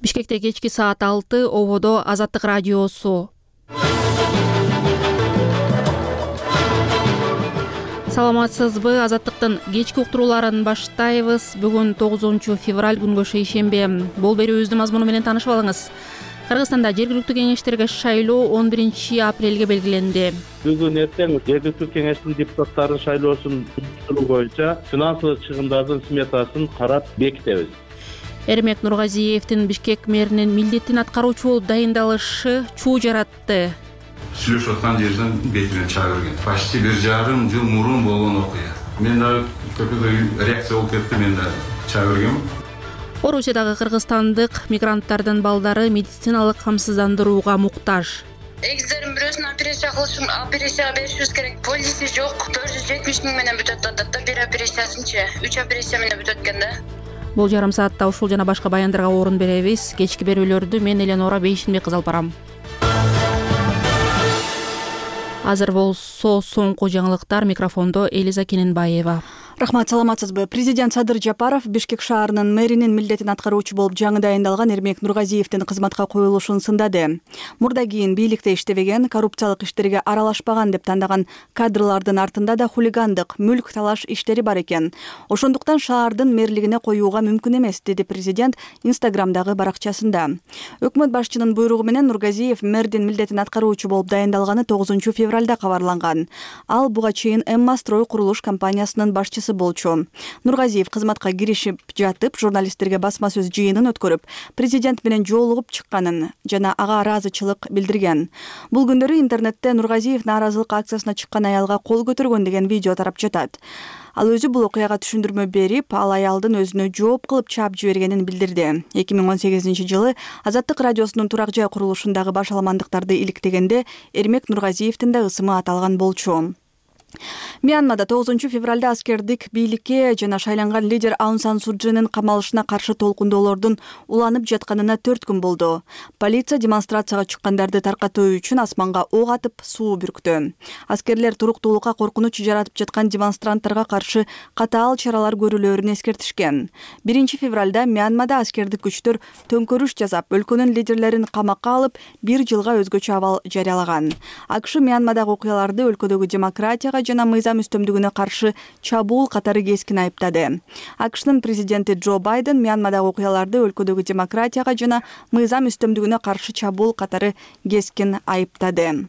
Бишкекте кечки саат 6 ободо Азаттык радиосу. Саламатсызбы? Азаттыктын кечки уктурууларын баштайбыз. Бүгүн 9 февраль күнгө шейшембе. Бул берүүбүздүн мазмуну менен таанышып алыңыз. Кыргызстанда жергиликтүү кеңештерге шайлоо 11 апрелге белгиленди. Бүгүн эртең жергиликтүү кеңештин депутаттарын шайлоосун уюштуруу боюнча финансылык чыгымдардын сметасын карап бекитебиз. Эрмек Нургазиевдин Бишкек мэринин милдетин аткаруучу болуп дайындалышы чуу жаратты. Сүйлөшүп аткан жерден бетине чаа берген. Почти 1,5 жыл мурун болгон окуя. Мен да көпүгө реакция болуп кетти, мен да чаа бергем. Орусиядагы кыргызстандык мигранттардын балдары медициналык камсыздандырууга муктаж. Эгиздердин бирөөсүн операция беришибиз керек. Полиси жок. 470 000 менен бүтөт атат да, бир операциясынчы 3 операция менен бүтөт экен да. Бул жарым саатта ушул жана башка баяндарга орун беребиз. Кечки берүүлөрдү мен Эленора Бейшинбек кызы алып барам. Азыр болсо соңку жаңылыктар, микрофондо Элиза Кененбаева. Рахмат, саламатсызбы? Президент Садыр Жапаров Бишкек шаарынын мэринин милдетин аткаруучу болуп жаңы дайындалган Эрмек Нургазиевдин кызматка коюлушун сындады. Мурда кийин бийликте иштебеген, коррупциялык иштерге аралашпаган деп тандаган кадрлардын артында да хулигандык, мүлк талаш иштери бар экен. Ошондуктан шаардын мэрлигине коюуга мүмкүн эмес, деди президент Инстаграмдагы баракчасында. Өкмөт башчынын буйругу менен Нургазиев мэрдин милдетин аткаруучу болуп дайындалганы 9 февралда кабарланган. Ал буга чейин Эмма строй курулуш компаниясынын башчысы болчу. Нургазиев кызматка киришип жатып, журналисттерге басма сөз жыйынын өткөрүп, президент менен жолугуп чыкканын жана ага ыраазычылык билдирген. Бул күндөрү интернетте Нургазиев нааразылык акциясына чыккан аялга кол көтөргөн деген видео тарап жатат. Ал өзү бул окуяга түшүндүрмө берип, ал аялдын өзүнө жооп кылып чаап жибергенин билдирди. 2018 жылы Азаттык радиосунун турак жай курулушундагы баш аламандыктарды иликтегенде Эрмек Нургазиевдин да ысымы аталган болчу. Мьянмада 9 февралда аскердик бийликке жана шайланган лидер Аун Сан Су Чжинин камалышына каршы толкундоолордун уланып жатканына 4 күн болду. Полиция демонстрацияга чыккандарды таркатуу үчүн асманга ок атып, суу бүрктү. Аскерлер туруктуулукка коркунуч жаратып жаткан демонстранттарга каршы катаал чаралар көрүлөөрүн эскертишкен. 1 февралда Мьянмада аскердик күчтөр төңкөрүш жасап, өлкөнүн лидерлерин камакка алып, 1 жылга өзгөчө абал жарыялаган. АКШ Мьянмадагы окуяларды өлкөдөгү демократияга жана мыйзам үстөмдүгүнө каршы чабуул катары кескин айыптады. АКШнын президенти Джо Байден Мьянмадагы окуяларды өлкөдөгү демократияга жана мыйзам үстөмдүгүнө каршы чабуул катары кескин айыптады.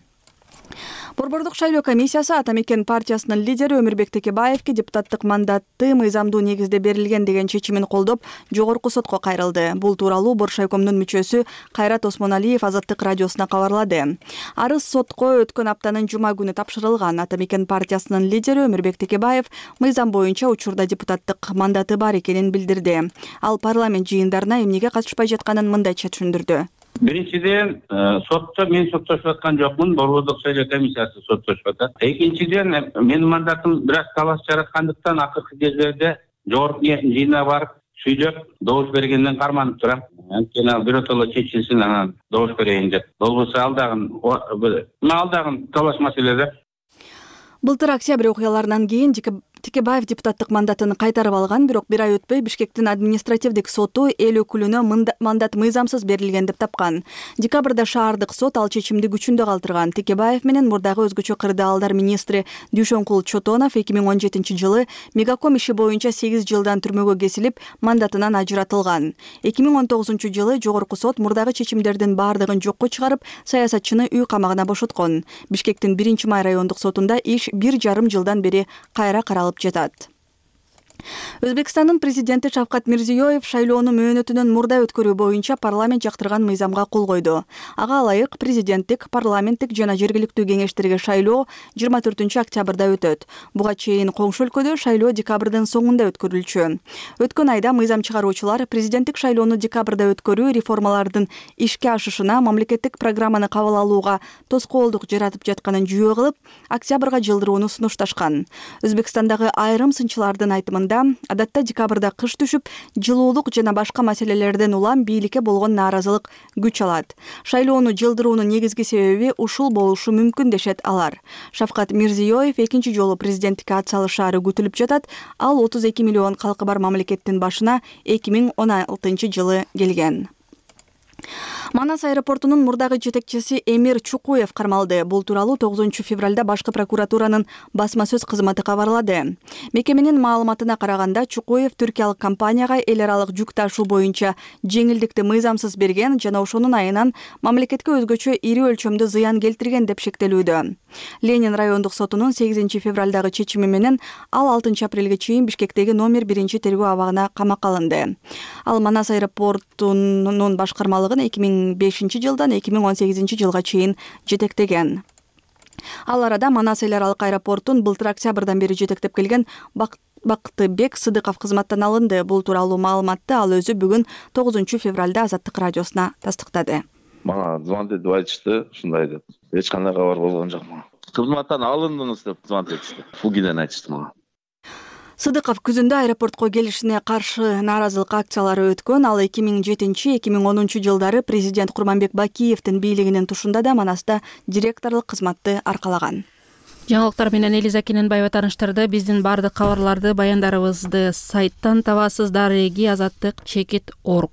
Борбордук шайлоо комиссиясы Ата Мекен партиясынын лидери Өмүрбек Текебаевке депутаттык мандатты мыйзамдуу негизде берилген деген чечимин колдоп, жогорку сотко кайрылды. Бул тууралуу Боршайкомдун мүчөсү Кайрат Осмоналиев Азаттык радиосуна кабарлады. Арыз сотко өткөн аптанын жума күнү тапшырылган. Ата Мекен партиясынын лидери Өмүрбек Текебаев мыйзам боюнча учурда депутаттык мандаты бар экенин билдирди. Ал парламент жыйындарына эмнеге катышпай жатканын мындайча түшүндүрдү. Биринчиден, мен соттошуп аткан жокмун, Борбордук шайлоо комиссиясы соттошуп атат. Экинчиден, менин мандатым бир аз талаш жараткандыктан акыркы кездерде жогорку кеңештин жыйынына барып, сүйлөп, добуш бергенден карманып турам. Анткени ал биротоло чечилсин, анан добуш берейин деп. Болбосо алдагы талаш маселеде. Былтыр октябрь окуяларынан кийин Текебаев депутаттык мандатын кайтарып алган, бирок бир ай өтпөй Бишкектин административдик соту эл өкүлүнө мандат мыйзамсыз берилген деп тапкан. Декабрда шаардык сот ал чечимди күчүндө калтырган. Текебаев менен мурдагы өзгөчө кырдаалдар министри Дүйшөнкул Чотонов 2017 жылы Мегаком иши боюнча 8 жылдан түрмөгө кесилип, мандатынан ажыратылган. 2019 жылы жогорку сот мурдагы чечимдердин баардыгын жокко чыгарып, саясатчыны үй камагына бошоткон. Бишкектин 1-май райондук сотунда иш 1,5 жылдан бери кайра каралып жатат. Өзбекстандын президенти Шавкат Мирзиёев шайлоону мөөнөтүнөн мурда өткөрүү боюнча парламент жактырган мыйзамга кол койду. Ага ылайык президенттик, парламенттик жана жергиликтүү кеңештерге шайлоо 24 октябрда өтөт. Буга чейин коңшу өлкөдө шайлоо декабрдын соңунда өткөрүлчү. Өткөн айда мыйзам чыгаруучулар президенттик шайлоону декабрда өткөрүү реформалардын ишке ашышына, мамлекеттик программаны кабыл алууга тоскоолдук жаратып жатканын жүйө кылып, октябрга жылдырууну сунушташкан. Өзбекстандагы айрым сынчылардын айтымында адатта декабрда кыш түшүп, жылуулук жана башка маселелерден улам бийликке болгон нааразылык күч алат. Шайлоону жылдыруунун негизги себеби ушул болушу мүмкүн дешет алар. Шавкат Мирзиёев экинчи жолу президенттикке ат салышаары күтүлүп жатат. Ал 32 миллион калкы бар мамлекеттин башына 2016 жылы келген. Манас аэропортунун мурдагы жетекчиси Эмир Чукуев кармалды. Бул тууралуу 9 февралда башкы прокуратуранын басма сөз кызматы кабарлады. Мекеменин маалыматына караганда, Чукуев түркиялык компанияга эл аралык жүк ташуу боюнча жеңилдикти мыйзамсыз берген жана ошонун айынан мамлекетке өзгөчө ири өлчөмдө зыян келтирген деп шектелүүдө. Ленин райондук сотунун 8 февралдагы чечими менен ал 6 апрелге чейин Бишкектеги номер 1 тергөө абагына камакка алынды. Ал Манас аэропортунун башкармалыгын 2005 жылдан 2018 жылга чейин жетектеген. Ал арада Манас эл аралык аэропортун былтыр октябрдан бери жетектеп келген Бактыбек Сыдыков кызматтан алынды. Бул тууралуу маалыматты ал өзү бүгүн 9 февралда Азаттык радиосуна тастыктады. Мага звонок деп айтышты, ушундай деп. Эч кандай кабар болгон жок мага. Кызматтан алындыңыз деп звонок этишти. Фугиден айтышты мага. Сыдыков күзүндө аэропортко келишине каршы нааразылык акциялары өткөн. Ал 2007-2010 жылдары президент Курманбек Бакиевдин бийлигинин тушунда да Манаста директорлук кызматты аркалаган. Жаңылыктар менен Элиза Кененбаева тааныштырды. Биздин бардык кабарларды, баяндарыбызды сайттан табасыздар. @azattik_org.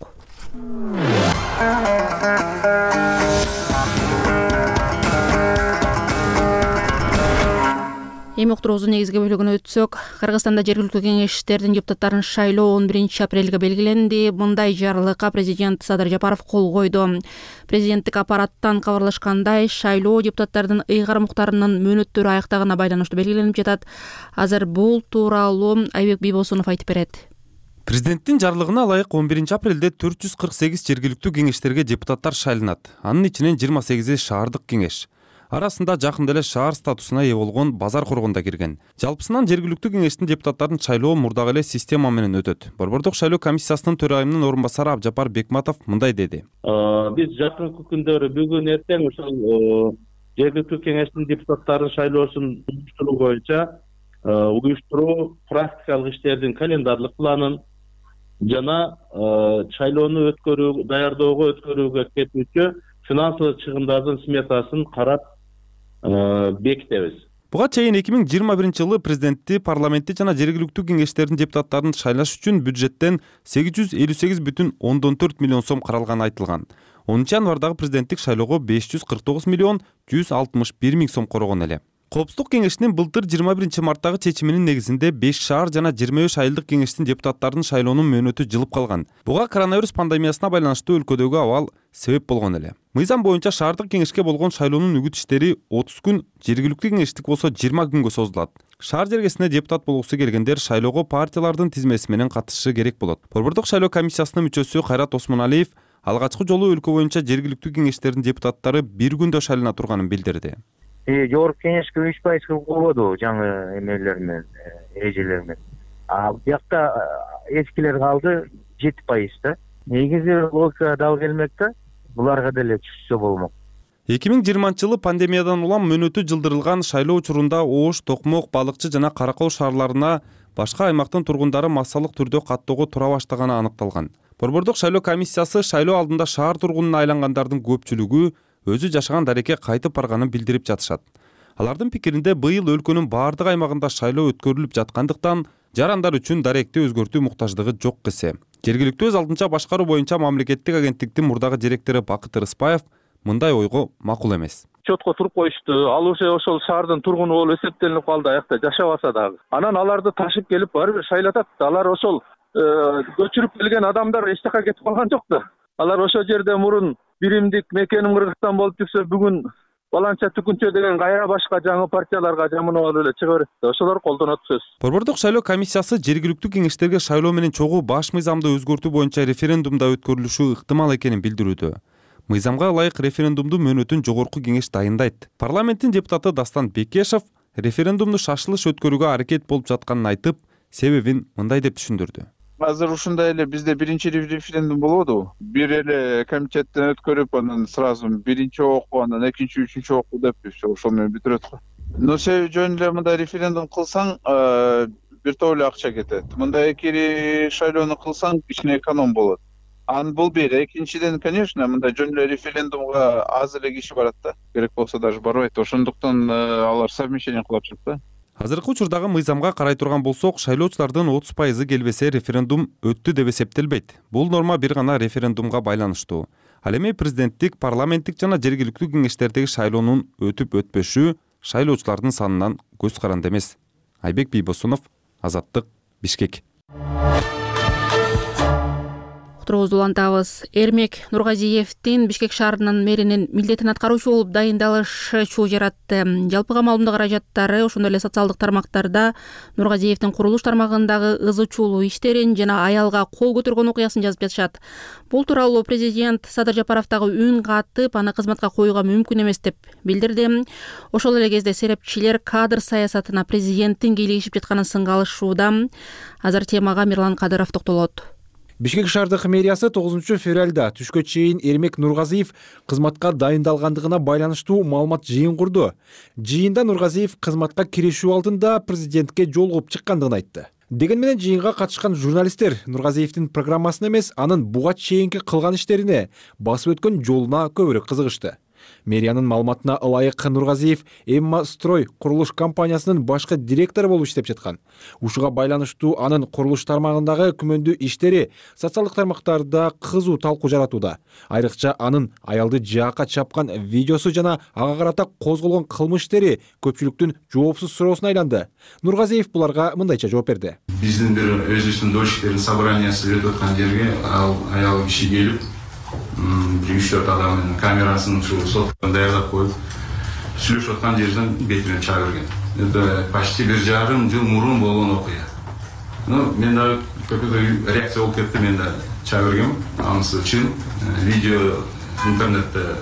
Эми уктуруубуздун негизги бөлүгүнө өтсөк, Кыргызстанда жергиликтүү кеңештердин депутаттарын шайлоо 11 апрелге белгиленди. Мындай жарлыкка президент Садыр Жапаров кол койду. Президенттик аппараттан кабарлашкандай, шайлоо депутаттардын ыйгар муктарынын мөөнөттөрү аяктаганына байланыштуу белгиленип жатат. Азыр бул тууралуу Айбек Бийбосунов айтып берет. Президенттин жарлыгына ылайык 11 апрелде 448 жергиликтүү кеңештерге депутаттар шайланат. Анын ичинен 28 шаардык кеңеш. Арасында жакында эле шаар статусуна ээ болгон Базар Коргондо кирген. Жалпысынан жергиликтүү кеңештин депутаттарын шайлоо мурдагы эле система менен өтөт. Борбордук шайлоо комиссиясынын төрайымынын орун басары Абжапар Бекматов мындай деди. Биз жакынкы күндөрү бүгүн эртең ошол жергиликтүү кеңештин депутаттарын шайлоосун уюштуруу боюнча уюштуруу практикалык иштердин календарлык планын жана шайлоону даярдоого өткөрүүгө кетүүчү финансылык чыгымдардын сметасын карап бекитебиз. Буга чейин 2021 жылы президентти, парламентти жана жергиликтүү кеңештердин депутаттарын шайлаш үчүн бюджеттен 858,4 миллион сом каралганы айтылган. 10 январдагы президенттик шайлоого 549 миллион 161 миң сом коргон эле. Коопсуздук кеңешинин былтыр 21 марттагы чечиминин негизинде 5 шаар жана 23 айылдык кеңештин депутаттарынын шайлоонун мөөнөтү жылып калган. Буга коронавирус пандемиясына байланыштуу өлкөдөгү абал себеп болгон эле. Мыйзам боюнча шаардык кеңешке болгон шайлоонун үгүт иштери 30 күн, жергиликтүү кеңештик болсо 20 күнгө созулат. Шаар жергесине депутат болгусу келгендер шайлоого партиялардын тизмеси менен катышышы керек болот. Борбордук шайлоо комиссиясынын мүчөсү Кайрат Осмоналиев алгачкы жолу өлкө боюнча жергиликтүү кеңештердин депутаттары бир күндө шайлана турганын билдирди. Жогорку кеңешке 3% кылып койбоду жаңы эмелер менен, эрежелер менен. Бuyakta эскилер калды 7% да. Негизи логика дал келмек да. Буларга деле түшсө болмок. 2020 жылы пандемиядан улам мөөнөтү жылдырылган шайлоо учурунда Ош, Токмок, Балыкчы жана Каракол шаарларына башка аймактын тургундары массалык түрдө каттоого тура баштаганы аныкталган. Борбордук шайлоо комиссиясы шайлоо алдында шаар тургунуна айлангандардын көпчүлүгү өзү жашаган дарекке кайтып барганын билдирип жатышат. Алардын пикиринде быйыл өлкөнүн баардык аймагында шайлоо өткөрүлүп жаткандыктан жарандар үчүн даректи өзгөртүү муктаждыгы жок кесе. Жергиликтүү өз алдынча башкаруу боюнча мамлекеттик агенттиктин мурдагы директору Бакыт Рыспаев мындай ойго макул эмес. Чотко туруп коюшту. Ал уже ошол шаардын тургуну болуп эсептелип калды, аякта жашабаса дагы. Анан аларды ташып келип барып шайлатат. Алар ошол көчүрүп келген адамдар эч жака кетип калган жок да. Алар ошол жерде мурун биримдик мекеним Кыргызстан болуп жүрсө бүгүн баланча түкүнчө деген кайра башка жаңы партияларга жаманап алып эле чыга берет. Ошолор колдонот сөз. Борбордук шайлоо комиссиясы жергиликтүү кеңештерге шайлоо менен чогуу баш мыйзамды өзгөртүү боюнча референдумда өткөрүлүшү ыктымал экенин билдирүүдө. Мыйзамга ылайык референдумду мөөнөтүн жогорку кеңеш дайындайт. Парламенттин депутаты Дастан Бекешев референдумду шашылыш өткөрүүгө аракет болуп жатканын айтып, себебин мындай деп түшүндүрдү. Азыр ушундай эле бизде биринчи референдум болоду. Бир эле комитеттен өткөрүп, анан сразу биринчи окуу, анан экинчи, үчүнчү окуу деп ошол менен бүтүрөт го. Но себеби жөн эле мындай референдум кылсаң, бир топ эле акча кетет. Мындай эки шайлоону кылсаң, кичине эконом болот. Бул бир. Экинчиден, конечно, мындай жөн эле референдумга аз эле киши барат да. Керек болсо даже барбайт. Ошондуктан алар совмещение кылып жатат да. Азыркы учурдагы мыйзамга карай турган болсок, шайлоочулардын 30% келбесе референдум өттү деп эсептелбейт. Бул норма бир гана референдумга байланыштуу. Ал эми президенттик, парламенттик жана жергиликтүү кеңештердеги шайлоонун өтүп өтпөшү шайлоочулардын санынан көз каранды эмес. Айбек Бийбосунов, Азаттык, Бишкек. Уктуруубузду улантабыз. Эрмек Нургазиевдин Бишкек шаарынын мэринин милдетин аткаруучу болуп дайындалышы чуу жаратты. Жалпыга маалымдоо каражаттары, ошондой эле социалдык тармактарда Нургазиевдин курулуш тармагындагы ызы чуулуу иштерин жана аялга кол көтөргөн окуясын жазып жатышат. Бул тууралуу президент Садыр Жапаровдагы үн катып, аны кызматка коюуга мүмкүн эмес деп билдирди. Ошол эле кезде серепчилер кадр саясатына президенттин кийлигишип жатканын сынга алышууда. Азыр темага Мирлан Кадыров токтолот. Бишкек шаардык мэриясы 9 февралда түшкө чейин Эрмек Нургазиев кызматка дайындалгандыгына байланыштуу маалымат жыйын курду. Жыйында Нургазиев кызматка киришүү алдында президентке жолугуп чыккандыгын айтты. Деген менен жыйынга катышкан журналисттер Нургазиевдин программасына эмес, анын буга чейинки кылган иштерине, басып өткөн жолуна көбүрөөк кызыгышты. Мэриянын маалыматына ылайык Нургазиев Эмма Строй курулуш компаниясынын башкы директору болуп иштеп жаткан. Ушуга байланыштуу анын курулуш тармагындагы күмөндүү иштери социалдык тармактарда кызуу талкуу жаратууда. Айрыкча анын аялды жаакка чапкан видеосу жана ага карата козголгон кылмыш иштери көпчүлүктүн жоопсуз суроосуна айланды. Нургазиев буларга мындайча жооп берди. Биздин бир өзүбүздүн дошиктердин собраниясы өтүп аткан жерге аял киши келип, 3-4 адамдын камерасын соткон даярдап коюп, сүйлөшүп аткан жерден бетине чаап берген. Это почти 1,5 жыл мурун болгон окуя. Мен да көпүгө реакция болуп кетти, мен да чаап бергем. Анысы чын, видео интернетте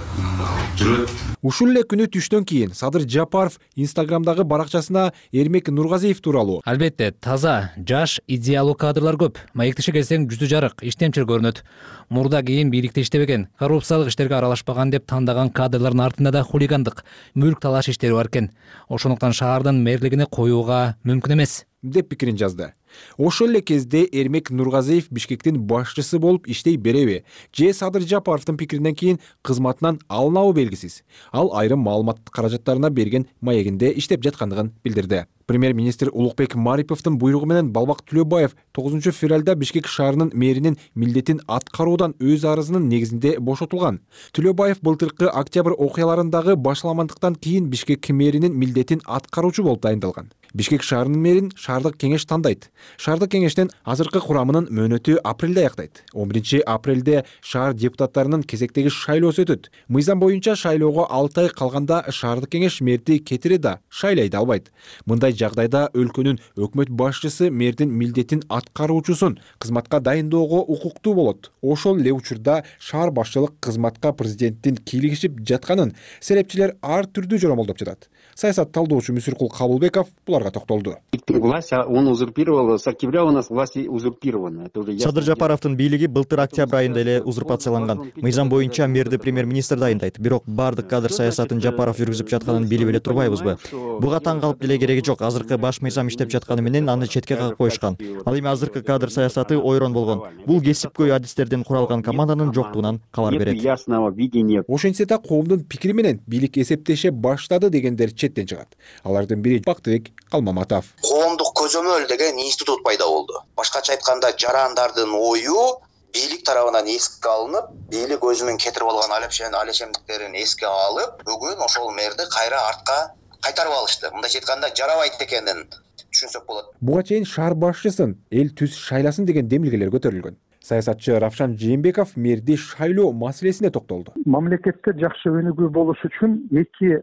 жүрөт. Ушул эле күнү түштөн кийин Садыр Жапаров Инстаграмдагы баракчасына Эрмек Нургазиев тууралуу: албетте, таза, жаш, идеалдуу кадрлар көп. Маектеше келсең жүзү жарык, иштемчил көрүнөт. Мурда кийин бийликте иштебеген, коррупциялык иштерге аралашпаган деп тандаган кадрлардын артында да хулигандык, мүлк талаш иштери бар экен. Ошондуктан шаардын мэрлигине коюуга мүмкүн эмес деп пикирин жазды. Ошол эле кезде Эрмек Нургазиев Бишкектин башчысы болуп иштей береби же Садыр Жапаровдун пикиринен кийин кызматынан алынабы белгисиз. Ал айрым маалымат каражаттарына берген маегинде иштеп жаткандыгын билдирди. Премьер-министр Улукбек Мариповдун буйругу менен Балбак Түлөбаев 9 февралда Бишкек шаарынын мэринин милдетин аткаруудан өз арызынын негизинде бошотулган. Түлөбаев былтыркы октябрь окуяларындагы башаламандыктан кийин Бишкек мэринин милдетин аткаруучу болуп дайындалган. Бишкек шаарынын мэрин шаардык кеңеш тандайт. Шаардык кеңештин азыркы курамынын мөөнөтү апрелде аяктайт. 11 апрелде шаар депутаттарынын кезектеги шайлоосу өтөт. Мыйзам боюнча шайлоого 6 ай калганда шаардык кеңеш мэрди кетире да, шайлай да албайт. Мындай жагдайда өлкөнүн өкмөт башчысы мэрдин милдетин аткаруучусун кызматка дайындоого укуктуу болот. Ошол эле учурда шаар башчылык кызматка президенттин кийлигишип жатканын серепчилер ар түрдүү жоромолдоп жатат. Саясат талдоочу Мүсүркул Кабылбеков буларга токтолду. Власть он узурпировал, с октября у нас власть узурпирована. Садыр Жапаровдун бийлиги былтыр октябрь айында эле узурпацияланган. Мыйзам боюнча мэрди премьер-министр дайындайт. Бирок бардык кадр саясатын Жапаров жүргүзүп жатканын билип эле турбайбызбы? Буга таң калып деле кереги жок. Азыркы баш мыйзам иштеп жатканы менен аны четке кагып коюшкан. Ал эми азыркы кадр саясаты ойрон болгон. Бул кесипкөй адистерден куралган команданын жоктугунан кабар берет. Ошентсе да коомдун пикири менен бийлик эсептеше баштады дегендер четтен чыгат. Алардын бири Бактыбек Калмаматов. Коомдук көзөмөл деген институт пайда болду. Башкача айтканда жарандардын ою бийлик тарабынан эске алынып, бийлик өзүнүн кетирип алган алешемдиктерин эске алып, бүгүн ошол мэрди кайра артка кайтарып алышты. Мындайча айтканда жарабайт экенин түшүнсөк болот. Буга чейин шаар башчысын эл түз шайласын деген демилгелер көтөрүлгөн. Саясатчы Равшан Жээнбеков мэрди шайлоо маселесине токтолду. Мамлекетте жакшы өнүгүү болуш үчүн эки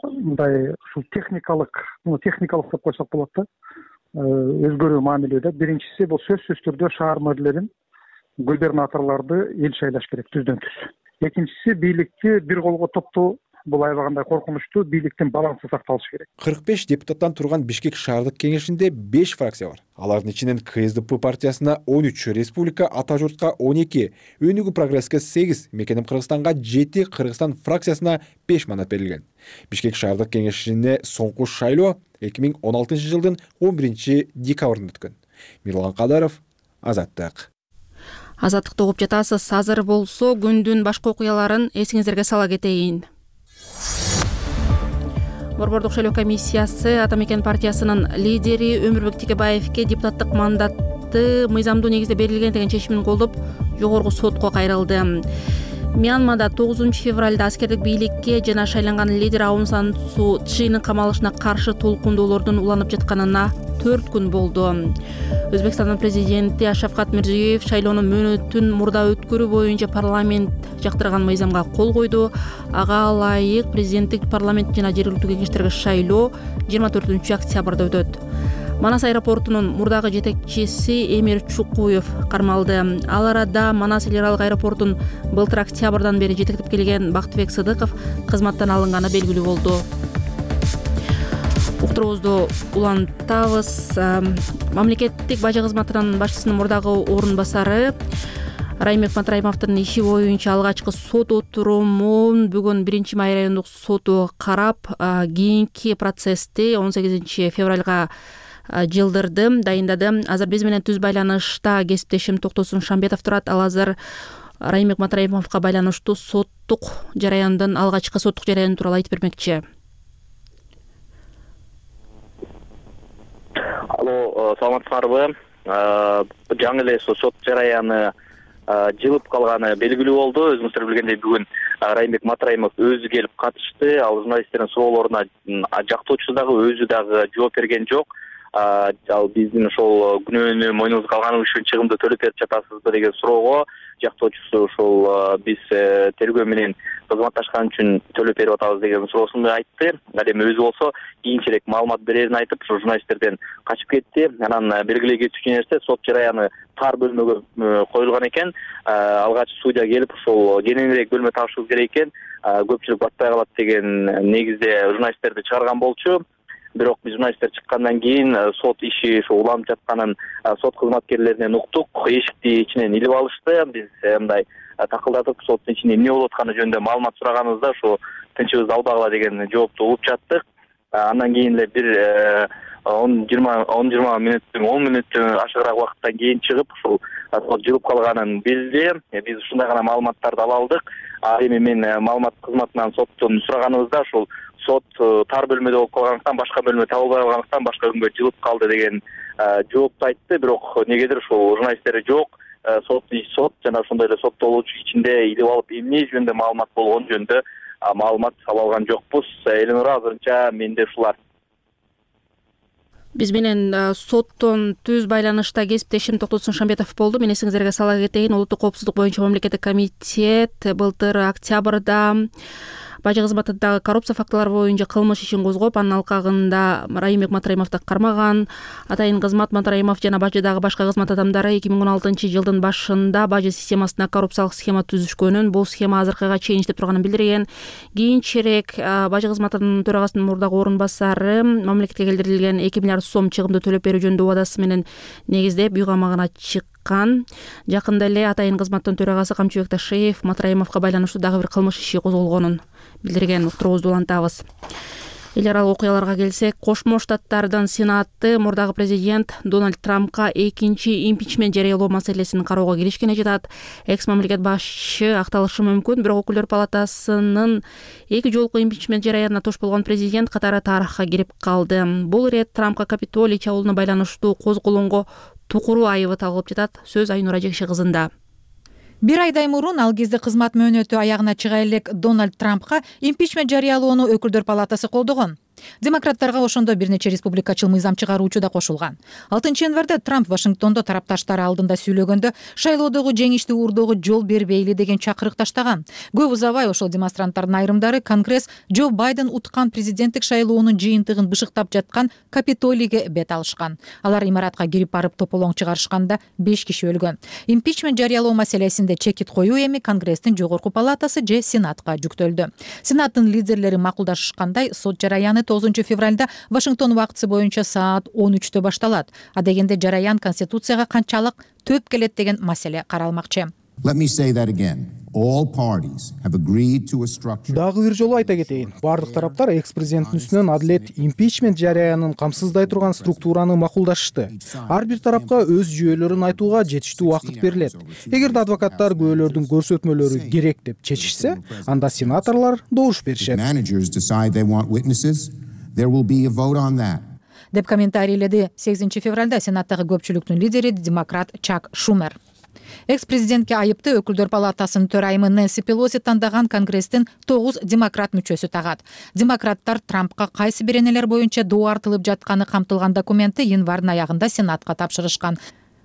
мындай ушул техникалык деп койсок болот да, өзгөрүү мамиледе. Биринчиси бул сөзсүз түрдө шаар мэрлерин, губернаторлорду эл шайлаш керек түздөн түз. Экинчиси бийликти бир колго топтоо. Бул аябагандай коркунучтуу, бийликтин балансы сакталышы керек. 45 депутаттан турган Бишкек шаардык кеңешинде 5 фракция бар. Алардын ичинен КСДП партиясына 13, Республика Ата журтка 12, Өнүгүү прогресске 8, Мекеним Кыргызстанга 7, Кыргызстан фракциясына 5 манат берилген. Бишкек шаардык кеңешине соңку шайлоо 2016 жылдын 11 декабрында өткөн. Мирлан Кадаров, Азаттык. Азаттыкты угуп жатасыз. Азыр болсо күндүн башка окуяларын эсиңиздерге сала кетейин. Борбордук шайлоо комиссиясы Ата Мекен партиясынын лидери Өмүрбек Текебаевке депутаттык мандатты мыйзамдуу негизде берилген деген чечимин колдоп, жогорку сотко кайрылды. Мьянмада 9 февралда аскердик бийликке жана шайланган лидер Аун Сан Су Чжинин камалышына каршы толкундоолордун уланып жатканына 4 күн болду. Өзбекстандын президенти Шавкат Мирзиёев шайлоонун мөөнөтүн мурда өткөрүү боюнча парламент жактырган мыйзамга кол койду. Ага ылайык президенттик, парламент жана жергиликтүү кеңештерге шайлоо 24 октябрда өтөт. Манас аэропортунун мурдагы жетекчиси Эмир Чукуев кармалды. Ал арада Манас эл аралык аэропортун былтыр октябрдан бери жетектеп келген Бактыбек Сыдыков кызматтан алынганы белгилүү болду. Уктуруубузду улантабыз. Мамлекеттик бажы кызматынын башчысынын мурдагы орун басары Раймек Матраимовдун иши боюнча алгачкы сот отурумун бүгүн 1-Май райондук соту карап, кийинки процессти 18 февралга жылдырды, дайындады. Азыр биз менен түз байланышта кесиптешим Токтосун Шамбетов турат. Ал азыр Раймек Матраимовго байланыштуу соттук жараяндын, алгачкы соттук жараяны тууралуу айтып бермекчи. Алло, саламатсыздарбы? Жаңы эле сот жараяны жылып калганы белгилүү болду. Өзүңүздөр билгендей бүгүн Раймек Матраимов өзү келип катышты. Ал журналисттердин суроолоруна жактоочусу дагы өзү дагы жооп берген жок. Ал биздин ошол күнөөнү мойнубузга алганыбыз үчүн чыгымды төлөп берип жатасызбы деген суроого жактоочусу ошол биз тергөө менен кызматташкан үчүн төлөп берип атабыз деген суроосун айтты. Ал эми өзү болсо кийинчерээк маалымат берерин айтып, ошо журналисттерден качып кетти. Анан белгилей кетчү нерсе, сот жараяны тар бөлмөгө коюлган экен. Алгач судья келип ошол кененирээк бөлмө табышыбыз керек экен, көпчүлүк батпай калат деген негизде журналисттерди чыгарган болчу. Бирок биз журналисттер чыккандан кийин сот иши ошо уланып жатканын сот кызматкерлеринен уктук. Эшикти ичинен илип алышты. Биз мындай такылдатып соттун ичинде эмне болуп атканы жөнүндө маалымат сураганыбызда ошо тынчыбызды албагыла деген жоопту угуп жаттык. Андан кийин эле бир 10-20 мүнөттөн ашыгыраак убакыттан кийин чыгып ошол сот жылып калганын билди. Биз ушундай гана маалыматтарды ала алдык. Эми мен маалымат кызматынан соттун сураганыбызда ошол сот тар бөлмөдө болуп калгандыктан, башка бөлмө табылбай калгандыктан башка күнгө жылып калды деген жоопту айтты. Бирок негедир ошол журналисттер жок. Сот жана ошондой эле соттолуучу ичинде илип алып эмне жөнүндө маалымат болгону жөнүндө маалымат ала алган жокпуз. Эленура, азырынча менде ушулар. Биз менен соттон түз байланышта кесиптешим Токтосун Шамбетов болду. Мен эсиңиздерге сала кетейин, Улуттук коопсуздук боюнча мамлекеттик комитет былтыр октябрда бажы кызматындагы коррупция фактылары боюнча кылмыш ишин козгоп, анын алкагында Раймек Матраимовду кармаган. Атайын кызмат Матраимов жана бажыдагы башка кызмат адамдары 2016 жылдын башында бажы системасына коррупциялык схема түзүшкөнүн, бул схема азыркыга чейин иштеп турганын билдирген. Кийинчерээк бажы кызматынын төрагасынын мурдагы орун басары мамлекетке келтирилген 2 миллиард сом чыгымды төлөп берүү жөнүндө убадасы менен негиздеп үй камагына чыккан. Жакында эле атайын кызматтын төрагасы Камчыбек Ташиев Матраимовго байланыштуу дагы бир кылмыш иши козголгонун билдирген. Уктуруубузду улантабыз. Эл аралык окуяларга келсек, Кошмо Штаттардын Сенаты мурдагы президент Дональд Трампка экинчи импичмент жарыялоо маселесин кароого киришкене жатат. Экс мамлекет башчы акталышы мүмкүн, бирок Өкүлдөр палатасынын 2 жолку импичмент жараянына тош болгон президент катары тарыхка кирип калды. Бул ирет Трампка Капитолий чабуулуна байланыштуу козголонго тукуруу айыбы тагылып жатат. Сөз Айнура Жекши кызында. Бир айдай мурун ал кезде кызмат мөөнөтү аягына чыга элек Дональд Трампка импичмент жарыялоону Өкүлдөр палатасы колдогон. Демократтарга ошондо бир нече республикачыл мыйзам чыгаруучу да кошулган. 6-январда Трамп Вашингтондо тарапташтары алдында сүйлөгөндө шайлоодогу жеңишти уурдоого жол бербейли деген чакырык таштаган. Көп узабай ошол демонстранттардын айрымдары Конгресс Джо Байден уткан президенттик шайлоонун жыйынтыгын бышыктап жаткан Капитолийге бет алышкан. Алар имаратка кирип барып тополоң чыгарышканда 5 киши өлгөн. Импичмент жарыялоо маселесинде чекит коюу эми Конгресстин жогорку палатасы же Сенатка жүктөлдү. Сенаттын лидерлери макулдашкандай, сот жараяны 9 февралда Вашингтон убактысы боюнча саат 13-тө башталат. Адегенде жараян Конституцияга канчалык төп келет деген маселе каралмакчы. Дагы бир жолу айта кетейин. Бардык тараптар экс-президенттин үстүнөн адилет импичмент жараянын камсыздай турган структураны макулдашты. Ар бир тарапка өз жүйөлөрүн айтууга жетиштүү убакыт берилет. Эгерде адвокаттар күбөлөрдүн көрсөтмөлөрү керек деп чечишсе, анда сенаторлор добуш беришет. Деп комментарийледи 8 февралда Сенаттагы көпчүлүктүн лидери демократ Чак Шумер. Экс президентке айыпты өкүлдөр палатасынын төрайымы Нэнси Пелоси тандаган Конгресстин 9 демократ мүчөсү тагат. Демократтар Трампка кайсы беренелер боюнча доо артылып жатканы камтылган документти январдын аягында Сенатка тапшырышкан.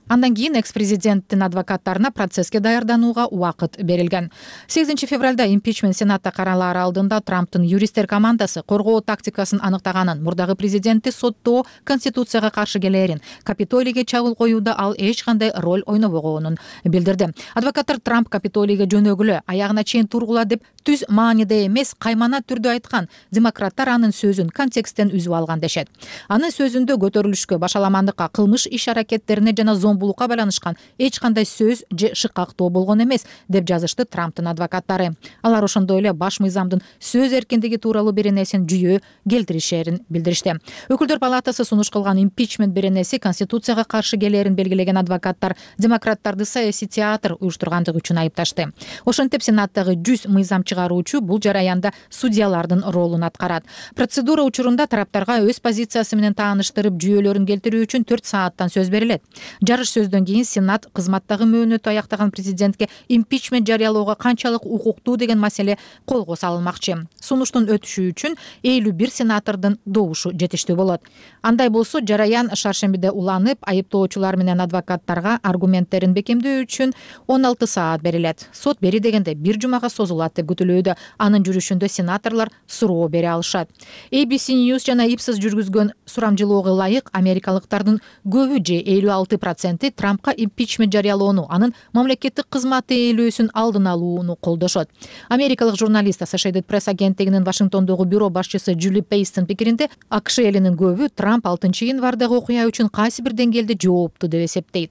Андан кийин экс-президенттин адвокаттарына процесске даярданууга убакыт берилген. 8 февралда импичмент Сенатта каралаар алдында Трамптын юристтер командасы коргоо тактикасын аныктаганын, мурдагы президентти соттоо Конституцияга каршы келээрин, Капитолийге чабуул коюуда ал эч кандай роль ойнобогонун билдирди. Адвокаттар Трамп Капитолийге жөнөгүлө, аягына чейин тургула деп түз мааниде эмес, каймана түрдө айткан. Демократтар анын сөзүн контексттен үзүп алган дешет. Анын сөзүндө көтөрүлүшкө, башаламандыкка, кылмыш иш-аракеттерине жана зомбулукка байланышкан эч кандай сөз же шыкактоо болгон эмес деп жазышты Трамптын адвокаттары. Алар ошондой эле баш мыйзамдын сөз эркиндиги тууралуу беренесин жүйө келтиришерин билдиришти. Өкүлдөр палатасы сунуш кылган импичмент беренеси Конституцияга каршы келээрин белгилеген адвокаттар демократтарды саясий театр уюштургандыгы үчүн айыпташты. Ошентип Сенаттагы 100 мыйзам чыгаруучу бул жараянда судьялардын ролун аткарат. Процедура учурунда тараптарга өз позициясы менен тааныштырып, жүйөлөрүн келтирүү үчүн 4 сааттан сөз берилет. Жарыш сөздөн кийин Сенат кызматтагы мөөнөтү аяктаган президентке импичмент жарыялоого канчалык укуктуу деген маселе колго салынмакчы. Сунуштун өтүшү үчүн 51 сенатордун добушу жетиштүү болот. Андай болсо жараян шаршембиде уланып, айыптоочулар менен адвокаттарга аргументтерин бекемдөө үчүн 16 саат берилет. Сот бери дегенде 1 жумага созулат деп күтүлүүдө. Анын жүрүшүндө сенаторлор суроо бере алышат. ABC News жана Ipsos жүргүзгөн сурамжылоого ылайык америкалыктардын көбү же 56% Трампка импичмент жарыялоону, анын мамлекеттик кызматы ээлөөсүн алдын алууну колдошот. Америкалык журналист Associated Press агенттигинин Вашингтондогу бюро башчысы Джули Пейстин пикиринде, АКШ элинин көбү Трамп 6 январдагы окуя үчүн кайсы бир деңгээлде жоопту деп эсептейт.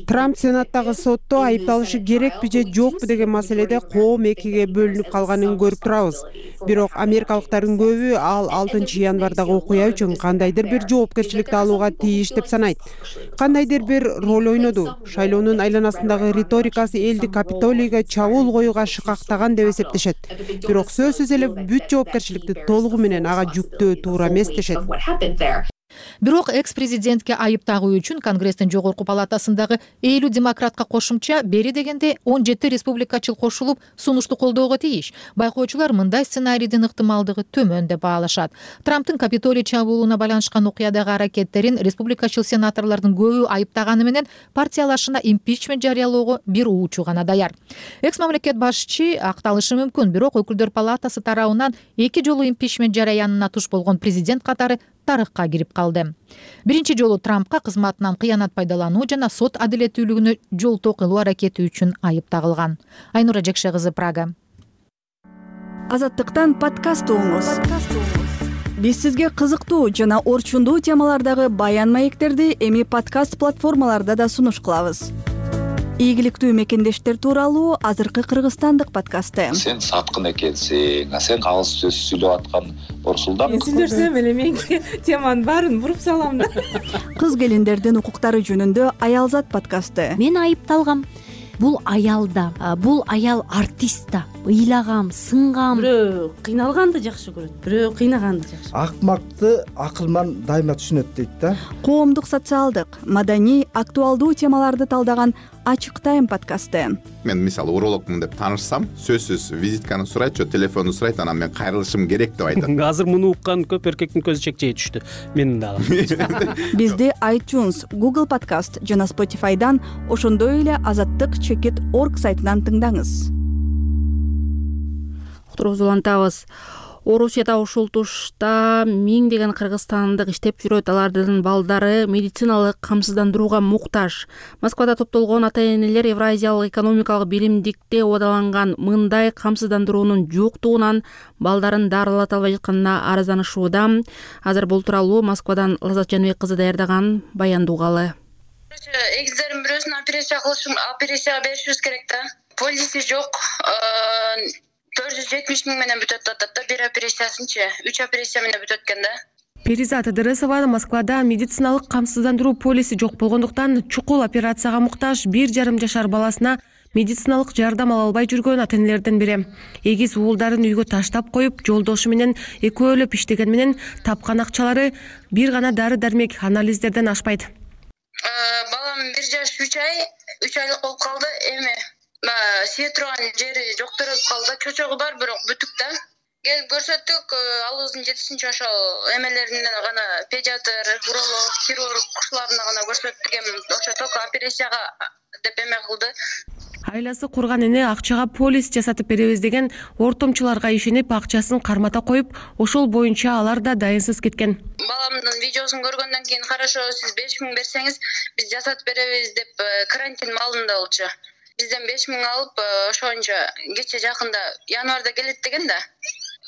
Трамп Сенаттагы сотто айыпталышы керекпи же жокпу деген маселеде коом экиге бөлүнүп калганын көрүп турабыз. Бирок америкалыктардын көбү ал 6 январдагы окуя үчүн кандайдыр бир жоопкерчиликти алууга тийиш деп санайт. Кандайдыр бир роль ойноду. Шайлоонун айланасындагы риторикасы элди Капитолийге чабуул коюуга шыкактаган деп эсептешет. Бирок сөзсүз эле бүт жоопкерчиликти толугу менен ага жүктөө туура эмес дешет. Бирок экс-президентке айып тагуу үчүн Конгресстин жогорку палатасындагы 50 демократка кошумча бери дегенде 17 республикачыл кошулуп сунушту колдоого тийиш. Байкоочулар мындай сценарийдин ыктымалдыгы төмөн деп баалашат. Трамптын Капитолий чабуулуна байланышкан окуядагы аракеттерин республикачыл сенаторлордун көбү айыптаганы менен партиялашына импичмент жарыялоого бир уучу гана даяр. Экс-мамлекет башчы акталышы мүмкүн, бирок өкүлдөр палатасы тарабынан 2 жолу импичмент жараянына туш болгон президент катары тарыхка кирип калды. Биринчи жолу Трампка кызматынан кыянат пайдалануу жана сот адилеттүүлүгүнө жолтоо кылуу аракети үчүн айып тагылган. Айнура Жекше кызы, Прага. Азаттыктан подкаст угуңуз. Биз сизге кызыктуу жана орчундуу темалардагы баян маектерди эми подкаст платформаларда да сунуш кылабыз. Ийгиликтүү мекендештер тууралуу азыркы кыргызстандык подкасты. Сен саткын экенсиң, сен калыс сөз сүйлөп аткан Орсулдан. Мен сүйлөсөм эле менин теманын баарын буруп салам да. Кыз келиндердин укуктары жөнүндө Аялзат подкасты. Мен айыпталгам. Бул аял да, бул аял артист да. Ыйлагам, сынгам. Бирөө кыйналганды жакшы көрөт, бирөө кыйнаганды жакшы. Акмакты акылман дайыма түшүнөт дейт да. Коомдук, социалдык, маданий, актуалдуу темаларды талдаган Ачык Тайм подкасты. Мен мисалы урологмун деп таанышсам, сөзсүз визитканы сурайт, телефонду сурайт, анан мен кайрылышым керек деп айтат. Азыр муну уккан көп эркектин көзү чекчей түштү. Менин дагы. Бизди iTunes, Google Podcast жана Spotify'дан, ошондой эле azattik.org сайтынан тыңдаңыз. Уктуруубузду улантабыз. Орусияда ушул тушта миңдеген кыргызстандык иштеп жүрөт. Алардын балдары медициналык камсыздандырууга муктаж. Москвада топтолгон ата-энелер Евразиялык экономикалык биримдикте убадаланган мындай камсыздандыруунун жоктугунан балдарын дарылата албай жатканына арызданышууда. Азыр бул тууралуу Москвадан Лазат Жаныбек кызы даярдаган баянды угалы. Эгиздердин бирөөсүн операцияга беришибиз керек да. Полиси жок. 470 миң менен бүтөт атат да, бир операциясынчы 3 операция менен бүтөт экен да. Перизат Ыдырысова Москвада медициналык камсыздандыруу полиси жок болгондуктан чукул операцияга муктаж 1,5 жашар баласына медициналык жардам ала албай жүргөн ата-энелердин бири. Эгиз уулдарын үйгө таштап коюп, жолдошу менен экөөлөп иштеген менен тапкан акчалары бир гана дары-дармек, анализдерден ашпайт. Балам 1 жаш 3 айлык болуп калды. Эми сие турган жери жоктуруп калды. Чочогу бар, бирок бүтүк да. Келип көрсөттүк, алыбыздын жетишинчи ошол эмелеринден гана педиатр, уролог, хирург ушуларына гана көрсөттүк. Эми ошо только операцияга деп эме кылды. Айласы курган эне акчага полис жасатып беребиз деген ортомчуларга ишенип, акчасын кармата коюп, ошол боюнча алар да дайынсыз кеткен. Баламдын видеосун көргөндөн кийин, хорошо, сиз 5000 берсеңиз, биз жасатып беребиз деп карантин маалында болчу. Бизден 5000 алып, ошончо кече жакында январда келет деген да.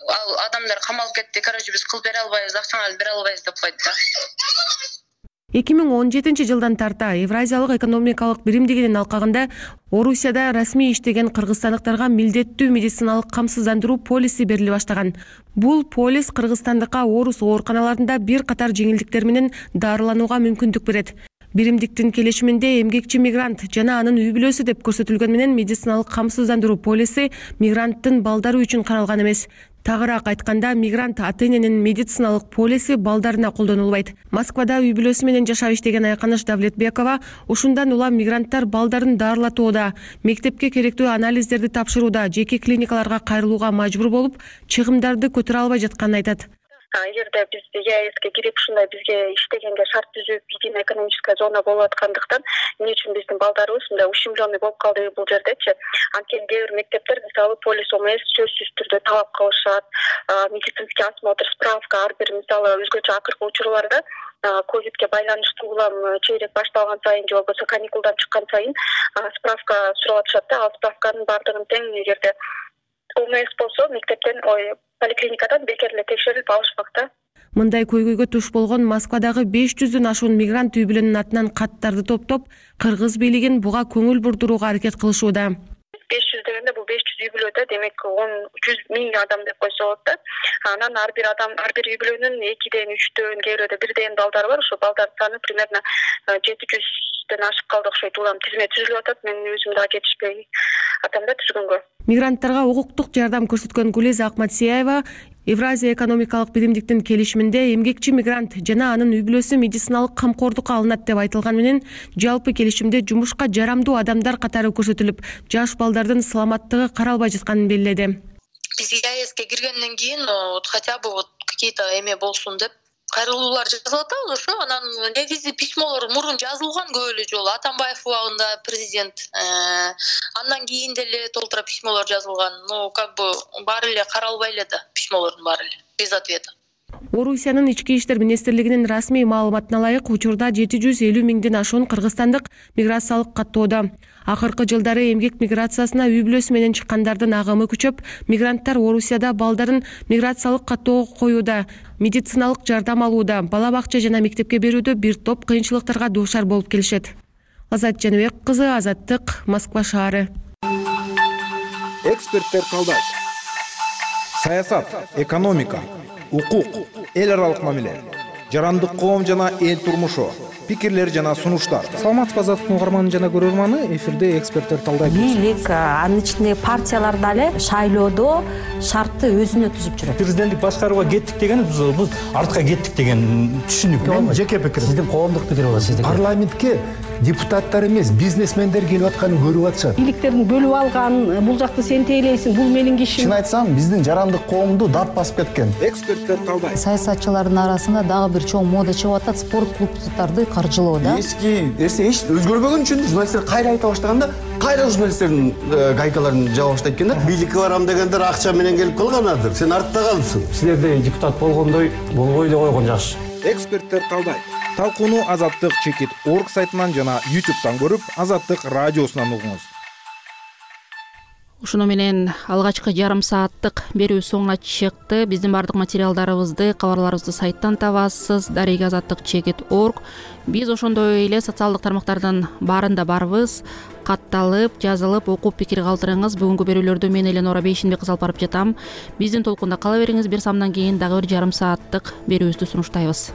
Ал адамдар камалып кетти. Короче, биз кылып бере албайбыз, акчаңызды бере албайбыз деп койду да. 2017 жылдан тарта Евразиялык экономикалык биримдигинин алкагында Орусияда расмий иштеген кыргызстандыктарга милдеттүү медициналык камсыздандыруу полиси бериле баштаган. Бул полис кыргызстандыкка орус ооруканаларында бир катар жеңилдиктер менен дарыланууга мүмкүндүк берет. Биримдиктин келишиминде эмгекчи мигрант жана анын үй бүлөсү деп көрсөтүлгөн менен медициналык камсыздандыруу полиси мигранттын балдары үчүн каралган эмес. Тагыраак айтканда, мигрант ата-эненин медициналык полиси балдарына колдонулбайт. Москвада үй бүлөсү менен жашап иштеген Айканыш Давлетбекова ушундан улам мигранттар балдарын дарылатууда, мектепке керектүү анализдерди тапшырууда, жеке клиникаларга кайрылууга мажбур болуп, чыгымдарды көтөрө албай жатканын айтат. Эгерде биз ЕАЭСке кирип ушундай бизге иштегенге шарт түзүп, единая экономическая зона болуп аткандыктан эмне үчүн биздин балдарыбыз мындай ущемленный болуп калды бул жердечи? Анткени кээ бир мектептер мисалы полис ОМС сөзсүз түрдө талап кылышат, медицинский осмотр, справка, ар бир мисалы өзгөчө акыркы учурларда ковидке байланыштуу улам чейрек башталган сайын же болбосо каникулдан чыккан сайын справка сурап атышат да. Ал справканын бардыгын тең эгерде ОМС болсо мектептен поликлиникадан бекер эле текшерип алышмак. Мындай көйгөйгө туш болгон Москвадагы 500дөн ашуун мигрант үй бүлөнүн атынан каттарды топтоп, кыргыз бийлигин буга көңүл бурдурууга аракет кылышууда. 500 дегенде бул 500 үй бүлөдө демек 100 миң адам деп койсо болот да. Анан ар бир үй бүлөнүн 2ден 3дөн, кээ бирөөдө 1ден балдары бар. Ошо балдардын саны примерно 700ден ашып калды окшойт. Улам тизме түзүлүп атат. Мен өзүм дагы жетишпей атам да түзгөнгө. Мигранттарга укуктук жардам көрсөткөн Гулиза Акматсияева Евразия экономикалык биримдиктин келишиминде эмгекчи мигрант жана анын үй бүлөсү медициналык камкордукка алынат деп айтылган менен, жалпы келишимде жумушка жарамдуу адамдар катары көрсөтүлүп, жаш балдардын саламаттыгы каралбай жатканын белгиледи. Биз ЕАЭСке киргенден кийин хотя бы какие-то эме болсун деп кайрылуулар жазылып атабыз ошо. Анан негизи письмолор мурун жазылган көп эле жолу. Атамбаев убагында президент, андан кийин деле толтура письмолор жазылган. Как бы баары эле каралбай эле да, письмолордун баары эле без ответа. Орусиянын ички иштер министрлигинин расмий маалыматына ылайык, учурда 750 миңден ашуун кыргызстандык миграциялык каттоодо. Акыркы жылдары эмгек миграциясына үй бүлөсү менен чыккандардын агымы күчөп, мигранттар Орусияда балдарын миграциялык каттоого коюуда, медициналык жардам алууда, бала бакча жана мектепке берүүдө бир топ кыйынчылыктарга дуушар болуп келишет. Азат Жаныбек кызы, Азаттык, Москва шаары. Эксперттер талдайт. Саясат, экономика, укук, эл аралык мамиле, жарандык коом жана эл турмушу, пикирлер жана сунуштар. Саламатсызбы Азаттыктын угарманы жана көрөрманы, эфирде эксперттер талдайт. Бийлик, анын ичинде партиялар дале шайлоодо шартты өзүнө түзүп жүрөт. Президенттик башкарууга кеттик деген бул артка кеттик деген түшүнүк. Мен жеке пикирим. Сиздин коомдук пикир болот сиздики. Парламентке депутаттар эмес, бизнесмендер келип атканын көрүп атышат. Бийликтердин бөлүп алган, бул жакты сен тейлейсиң, бул менин кишим. Чын айтсам, биздин жарандык коомду дат басып кеткен. Эксперттер талдайт. Саясатчылардын арасында дагы бир чоң мода чыгып атат, спорт клубдарды каржылоо да. Эски нерсе эч өзгөрбөгөн үчүн журналисттер кайра айта баштаганда, кайра журналисттердин гайкаларын жаба баштайт экен да. Бийликке барам дегендер акча менен келип калганадыр. Сен артта калдың. Силерде депутат болгондой болбой эле койгон жакшы. Эксперттер талдайт. Талкууну Азаттык Чекит.org сайтынан жана YouTube'дан көрүп, Азаттык радиосунан угуңуз. Ушуну менен алгачкы жарым сааттык берүү соңуна чыкты. Биздин бардык материалдарыбызды, кабарларыбызды сайттан табасыз, дареги Азаттык Чекит.org. Биз ошондой эле социалдык тармактардын баарында барбыз. Катталып, жазылып, окуп пикир калтырыңыз. Бүгүнкү берүүлөрдү мен Эленора Бейшинбек кызы алып барып жатам. Биздин толкунда кала бериңиз. Бир самдан кийин дагы бир жарым сааттык берүүбүздү сунуштайбыз.